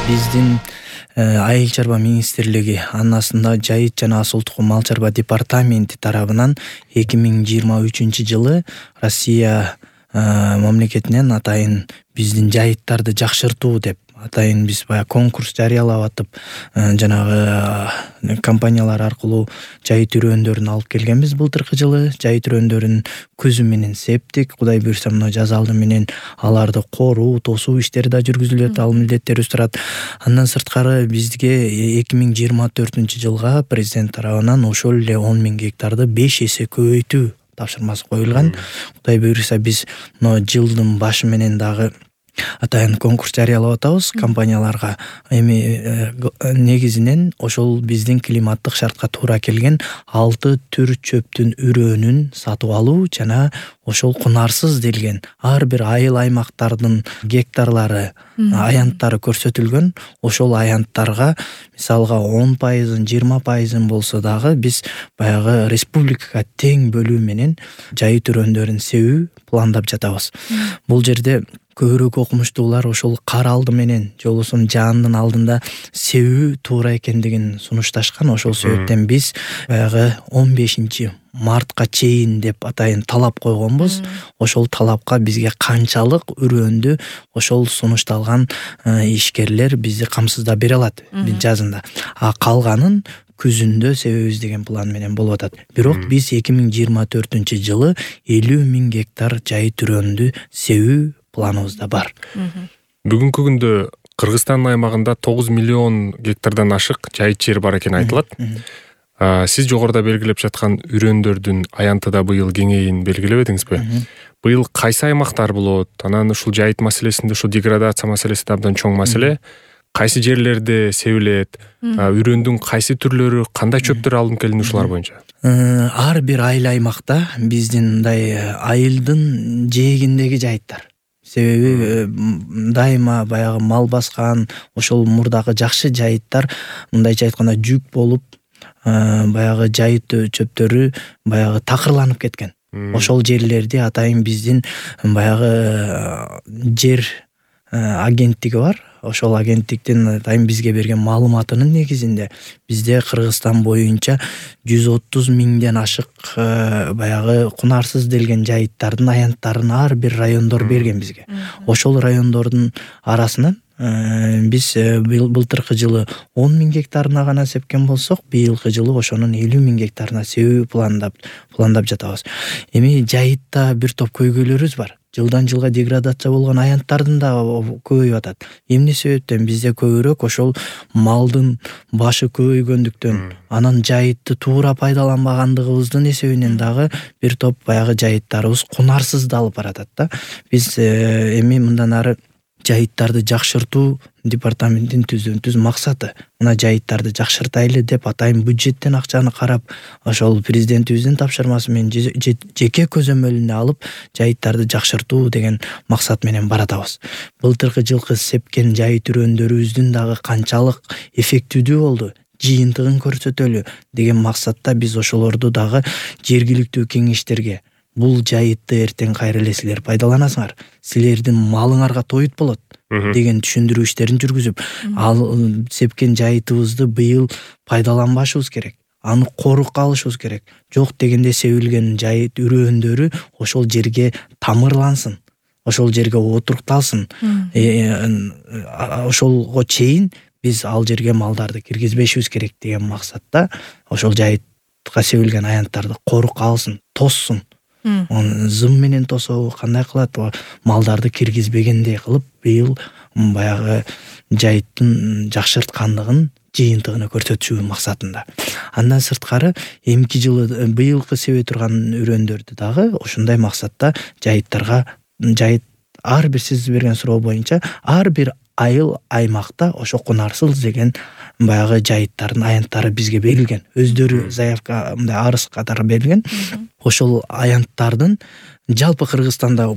Биздин Айыл чарба министрлиги анасында жайыт жана асыл тукум мал чарба департаменти тарабынан 2023-жылы Россия мамлекетинен атайын биздин жайыттарды жакшыртуу деп атайын биз баягы конкурс жарыялап атып жанагы компаниялар аркылуу жайыт үрөөндөрүн алып келгенбиз былтыркы жылы. Жайыт үрөөндөрүн көзү менен септик. Кудай буйрса мына жаз алды менен аларды коруу, тосуу иштери да жүргүзүлөт, ал милдеттерибиз турат. Андан сырткары бизге 2024-жылга президент тарабынан ошол эле 10.000 гектарды 5 эсе көбөйтүү тапшырмасы коюлган. Кудай буйрса биз мына жылдын башы менен дагы атайын конкурс жарыялап атабыз компанияларга. Эми негизинен ошол биздин климаттык шартка туура келген 6 түр чөптүн үрөөнүн сатып алуу жана ошол кунарсыз делген ар бир айыл аймактардын гектарлары, аянттары көрсөтүлгөн. Ошол аянттарга мисалга 10%, 20% болсо дагы биз баягы республикага тең бөлүү менен жайыт үрөөндөрүн себүү пландап жатабыз. Бул жерде көбүрөөк окумуштуулар ошол кар алды менен жолусун жаандын алдында себүү туура экендигин сунушташкан. Ошол себептен биз баягы 15 мартка чейин деп атайын талап койгонбуз. Ошол талапка бизге канчалык үрөөндү ошол сунушталган ишкерлер бизди камсыздап бере алат жазында. А калганын күзүндө себебиз деген план менен болуп атат. Бирок биз 2024-жылы 50.000 гектар жайыт үрөөндү себүү планыбызда бар. Бүгүнкү күндө Кыргызстандын аймагында 9 миллион гектардан ашык жайыт жер бар экени айтылат. Сиз жогоруда белгилеп жаткан үрөөндөрдүн аянты да быйыл кеңейин белгилебедиңизби? Быйыл кайсы аймактар болот? Анан ушул жайыт маселесинде ушул деградация маселеси да абдан чоң маселе. Кайсы жерлерде себилет? Үрөөндүн кайсы түрлөрү, кандай чөптөр алынып келин ушулар боюнча? Ар бир айыл аймакта биздин мындай айылдын жээгиндеги жайыттар. Себеби дайыма баягы мал баскан ошол мурдагы жакшы жайыттар мындайча айтканда жүк болуп баягы жайыт чөптөрү баягы такырланып кеткен. Ошол жерлерди атайын биздин баягы жер агенттиги бар. Ошол агенттиктин атайын бизге берген маалыматынын негизинде бизде Кыргызстан боюнча 130 миңден ашык баягы кунарсыз делген жайыттардын аянттарын ар бир райондор берген бизге. Ошол райондордун арасынан биз былтыркы жылы 10.000 гектарына гана сепкен болсок, быйылкы жылы ошонун 50.000 гектарына себүү пландап жатабыз. Эми жайытта бир топ көйгөйлөрүбүз бар. Жылдан жылга деградация болгон аянттардын да көбөйүп атат. Эмне себептен бизде көбүрөөк ошол малдын башы көбөйгөндүктөн, анан жайытты туура пайдаланбагандыгыбыздын эсебинен дагы бир топ баягы жайыттарыбыз кунарсыздалып баратат да. Биз эми мындан ары жайыттарды жакшыртуу департаменттин түз максаты. Мына жайыттарды жакшыртайлы деп атайын бюджеттен акчаны карап, ошол президентибиздин тапшырмасы менен жеке көзөмөлүнө алып жайыттарды жакшыртуу деген максат менен баратабыз. Былтыркы жылкы сепкен жайыт үрөөндөрүбүздүн дагы канчалык эффективдүү болду, жыйынтыгын көрсөтөлү деген максатта биз ошолорду дагы жергиликтүү кеңештерге бул жайытты эртең кайра эле силер пайдаланасыңар, силердин малыңарга тоют болот деген түшүндүрүү иштерин жүргүзүп, ал сепкен жайытыбызды быйыл пайдаланбашыбыз керек. Аны корукка алышыбыз керек. Жок дегенде себилген жайыт үрөөндөрү ошол жерге тамырлансын, ошол жерге отурукталсын. Ошолго чейин биз ал жерге малдарды киргизбешибиз керек деген максатта ошол жайытка себилген аянттарды корукка алсын, тоссун. Зым менен тособу, кандай кылат, малдарды киргизбегендей кылып быйыл баягы жайыттын жакшырткандыгын, жыйынтыгын көрсөтүү максатында. Андан сырткары эмки жылы быйылкы себе турган үрөөндөрдү дагы ошондой максатта жайыттарга ар бир сиз берген суроо боюнча ар бир айыл аймакта ошо кунарсыз деген баягы жайыттардын аянттары бизге берилген. Өздөрү заявка мындай арыз катары берилген. Ошол аянттардын жалпы Кыргызстанда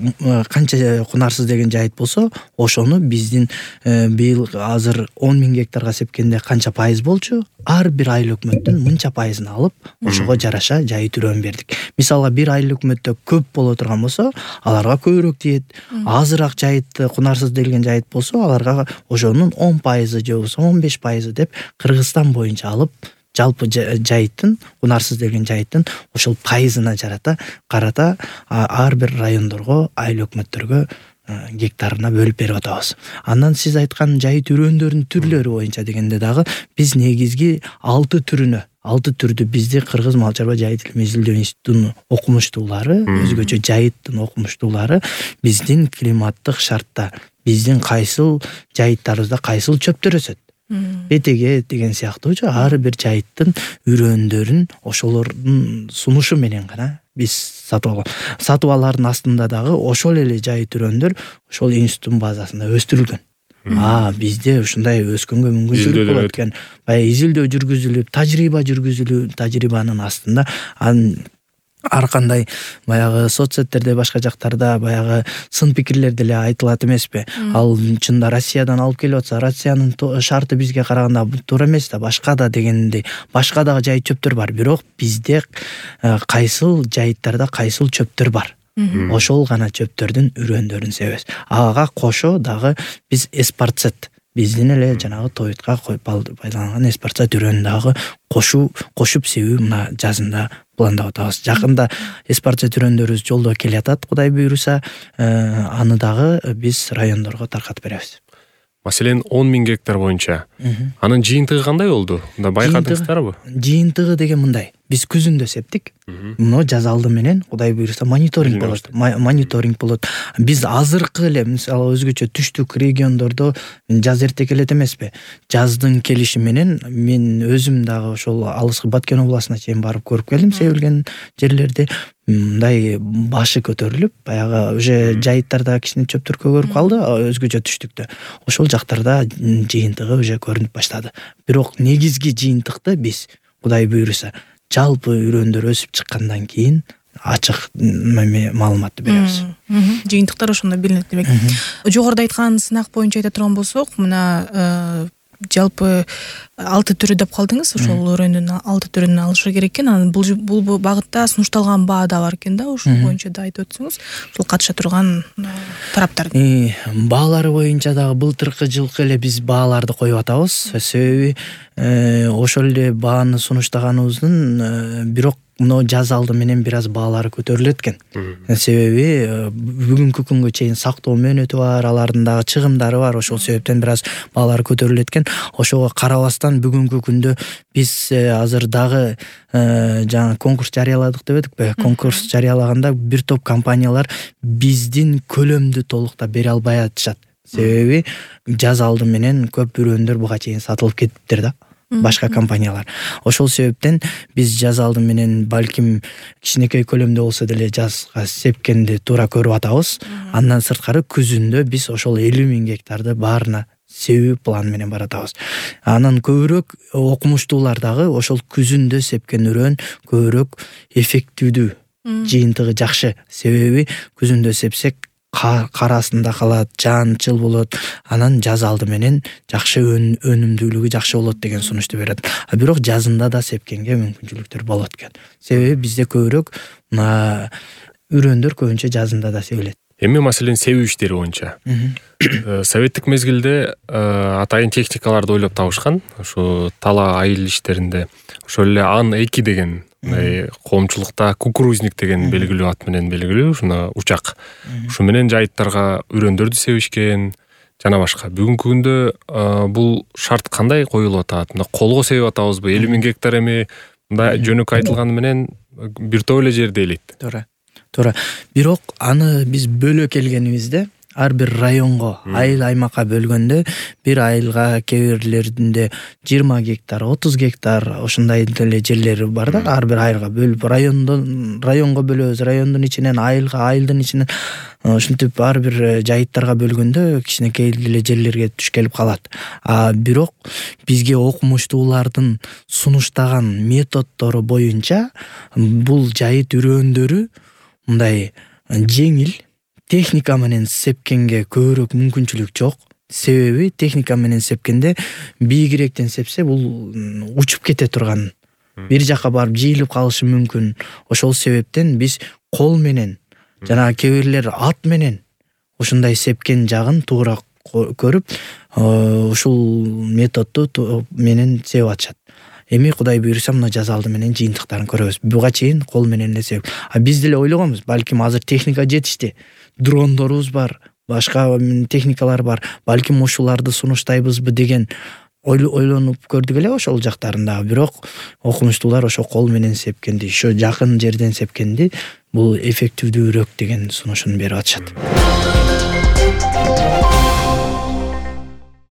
канча кунарсыз деген жайыт болсо, ошону биздин быйыл азыр 10.000 гектарга сепкенде канча пайыз болчу, ар бир айыл өкмөттүн мынча пайызын алып, ошого жараша жайыт үрөн бердик. Мисалга бир айыл өкмөттө көп боло турган болсо, аларга көбүрөөк тиет. Азыраак жайыт, кунарсыз делген жайыт болсо, аларга ошонун 10% же болбосо 15% деп Кыргызстан боюнча алып, жалпы жайыттын, кунарсыз деген жайыттын ошол пайызына карата ар бир райондорго, айыл өкмөттөргө гектарына бөлүп берип атабыз. Андан сиз айткан жайыт үрөндөрүнүн түрлөрү боюнча дегенде дагы биз негизги 6 түрдү бизди Кыргыз Мал чарба жайыт илим изилдөө институтунун окумуштуулары, өзгөчө жайыттын окумуштуулары биздин климаттык шартта, биздин кайсыл жайыттарыбызда кайсыл чөптөр өсөт, бетеге деген сыяктуучу ар бир жайыттын үрөндөрүн ошолордун сунушу менен гана биз сатып алган. Сатып алардын астында дагы ошол эле жайыт үрөндөр ошол институттун базасында өстүрүлгөн. Бизде ушундай өскөнгө мүмкүнчүлүк болот экен. Баягы изилдөө жүргүзүлүп, тажрыйбанын астында ар кандай баягы соцсеттерде, башка жактарда баягы сын пикирлер деле айтылат эмеспи? Ал чында Россиядан алып келип атса, Россиянын шарты бизге караганда туура эмес да, башка да дегендей, башка дагы жайыт чөптөр бар. Бирок бизде кайсыл жайыттарда кайсыл чөптөр бар. Ошол гана чөптөрдүн үрөндөрүн себебиз. Ага кошо дагы биз эспарцет, биздин эле жанагы тоютка пайдаланган эспарцет үрөнүн дагы кошуп себүү мына жазында пландап атабыз. Жакында эспарцет үрөндөрүбүз жолдо келатат, Кудай буйруса, аны дагы биз райондорго таркатып беребиз. Маселен, 10.000 гектар боюнча анын жыйынтыгы кандай болду? Мында байкадыңыздарбы? Жыйынтыгы деген мындай. Биз күзүндө септик. Муну жаз алды менен Кудай буйруса мониторинг болот. Биз азыркы эле, мисалы өзгөчө түштүк региондордо жаз эрте келет эмеспи? Жаздын келиши менен мен өзүм дагы ошол алыскы Баткен областына чейин барып көрүп келдим, себилген жерлерди. Мындай башы көтөрүлүп, баягы уже жайыттарда кичине чөптөр көгөрүп калды, өзгөчө түштүктө. Ошол жактарда жыйынтыгы уже көрүнүп баштады. Бирок негизги жыйынтыкты биз Кудай буйруса жалпы үрөндөр өсүп чыккандан кийин ачык маалыматты беребиз. Жыйынтыктар ошондо билинет демек. Жогоруда айткан сынак боюнча айта турган болсок, мына жалпы 6 түрү деп калдыңыз, ошол өрөндүн 6 түрүн алышы керек экен. Анан бул багытта сунушталган баа да бар экен да, ошол боюнча да айтып өтсөңүз, ошол катыша турган тараптардын. Баалары боюнча дагы былтыркы жылкы эле биз бааларды коюп атабыз. Себеби ошол эле бааны сунуштаганыбыздын бирок мына жаз алды менен бир аз баалары көтөрүлөт экен. Себеби бүгүнкү күнгө чейин сактоо мөөнөтү бар, алардын дагы чыгымдары бар. Ошол себептен бир аз баалары көтөрүлөт экен. Ошого карабастан бүгүнкү күндө биз азыр дагы жаңы конкурс жарыяладык деп эдикпи? Конкурс жарыялаганда бир топ компаниялар биздин көлөмдү толуктап бере албай атышат. Себеби жаз алды менен көп үрөндөр буга чейин сатылып кетиптир да. Башка компаниялар. Ошол себептен биз жаз алды менен балким кичинекей көлөмдө болсо деле жазга сепкенди туура көрүп атабыз. Андан сырткары күзүндө биз ошол 50.000 гектарды баарына себүү план менен баратабыз. Анан көбүрөөк окумуштуулар дагы ошол күзүндө сепкен үрөн көбүрөөк эффективдүү, жыйынтыгы жакшы. Себеби күзүндө сепсек карасында калат, жанчыл болот, анан жаз алды менен жакшы өнүмдүүлүгү жакшы болот деген сунушту берет. Бирок жазында да сепкенге мүмкүнчүлүктөр болот экен. Себеби бизде көбүрөөк үрөндөр көбүнчө жазында да себилет. Эми маселен себүү иштери боюнча советтик мезгилде атайын техникаларды ойлоп табышкан. Ошо тала айыл иштеринде ошол эле Ан-2 деген коомчулукта кукурузник деген белгилүү ат менен белгилүү ушуна учак. Ушу менен жайыттарга үрөндөрдү себишкен жана башка. Бүгүнкү күндө бул шарт кандай коюлуп атат? Мында колго себип атабызбы? 50.000 гектар эми мында жөнөкөй айтылганы менен бир топ эле жерде элейт. Туура. Бирок аны биз бөлө келгенибизде ар бир районго, айыл аймакка бөлгөндө бир айылга кээ бирлеринде 20 гектар, 30 гектар ошондой деле жерлери бар да. Ар бир айылга бөлүп районго бөлөбүз, райондун ичинен айылга, айылдын ичинен ушинтип ар бир жайыттарга бөлгөндө кичинекей эле жерлерге туш келип калат. Бирок бизге окумуштуулардын сунуштаган методдору боюнча бул жайыт үрөндөрү мындай жеңил, техника менен сепкенге көбүрөөк мүмкүнчүлүк жок. Себеби техника менен сепкенде бийигирээктен сепсе бул учуп кете турган, бир жака барып жыйылып калышы мүмкүн. Ошол себептен биз кол менен жана кээ бирлер ат менен ушундай сепкен жагын туура көрүп, ушул методду менен сеп атышат. Эми Кудай буйруса мына жаз алды менен жыйынтыктарын көрөбүз. Буга чейин кол менен эле сеп. Биз деле ойлогонбуз, балким азыр техника жетишти. Дрондорубуз бар, башка техникалар бар. Балким ушуларды сунуштайбызбы деген ойлонуп көрдүк эле ошол жактарында. Бирок окумуштуулар ошо кол менен сепкенди, ошо жакын жерден сепкенди бул эффективдүүрөөк деген сунушун берип атышат.